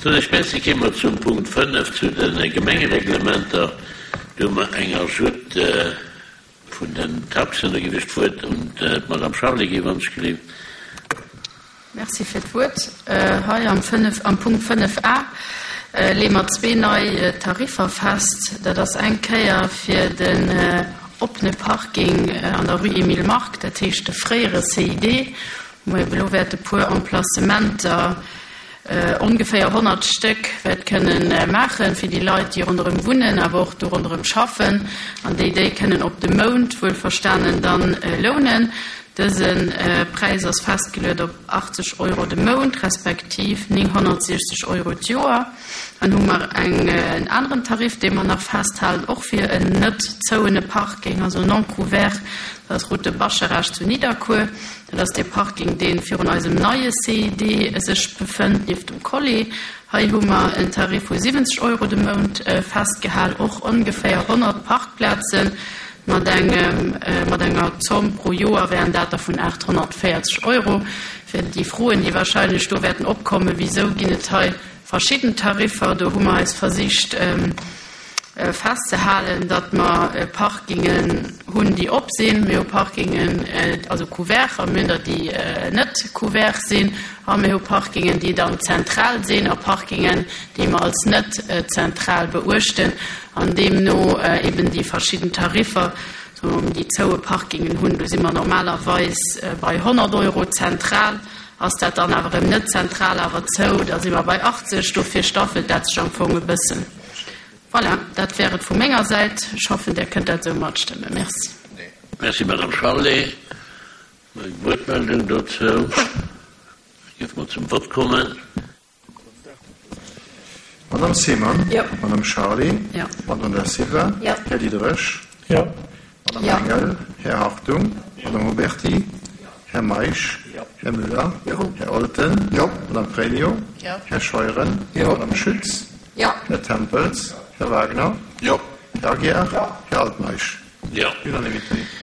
Soen ech Merci. Kéime mer zum Punkt 5, zu de Gemengereglementer. Do hu mer eng Ajoute vun den Taxen. Do géif ech d'Wuert un d'Madame Charlé ginn, wann ech gelift. Merci fir d'Wuert. Hei am 5, am Punkt 5 a leeë mer zwee nei Tariffer fest. Dat ass eng Kéier fir den oppene Parking an der Rue Emile Mark, dat heescht de fréiere CID, wou mer ebe lo wäerte puer Emplacementer, ongeféier 100 Stéck, wäert kënnen maachen, fir déi Leit, déi ronderëm wunnen, awer och do ronderëm schaffen an déi déi kënnen op de Mount wuelverstanen dann lounen. Dëse Präis ass festgeluet op 80 Euro de Mount, respektiv 960 Euro d'Joer. Dann hu mer en aneren Tarif, dee mer nach festhalen, och fir en net zouene Parking, also non couvert, dat ass Route de Bascharage zu Nidderkuer. Dat ass dee Parking, dee virun eisem neie CID sech befënnt, nieft dem Colis. Hei hu mer en Tarif vu 70 Euro de Mount festgehal, och ongeféier 100 Parkplazen. Mat engem, mat enger Zomm pro Joer wären dat der vun 840 Euro. Fir déi Froen, déi wahrscheinlech do wäerten opkommen, Wisou ginn et hei verschidden Tariffer? Do hu mer eis versicht festzehalen, datt mer Parkingen hunn, déi op sinn. Mir hu Parkingen, also couvert, a mir hunn der, déi net couvert sinn. A mir hu Parkingen, déi dann zentral sinn, a Parkingen, déi mer als net zentral beuechten an deemno eben déi verschidden Tariffer, soe mer, déi zoue Parkingen hunn. Do si mer normalerweis bei 100 Euro. Zentral ass dat dann awer erëm net zentral, awer zou, da si mer bei 80. Dofir staffelt dat sech am Fong e bëssen. Voilà, dat wär et vu menger Säit. Ech hoffen, Dir kënnt dat esou matstëmmen. Merci. Merci, Madame Charlé. Eng Wuertmeldung dozou? Da géife mer zum Vott kommen. Madame Seemann? Jo. Madame Charlé? Jo. Madame Da Silva? Jo. Här Diderich? Jo. Madame Engel? Här Hartung? Madame Huberty? Här Meisch? Här Müller? Här Olten? Madame Pregno? Här Scheuren? Madame Schütz? Här Tempels? Här Wagner? Här Aguiar? Här Altmeisch? Jo. Unanimité.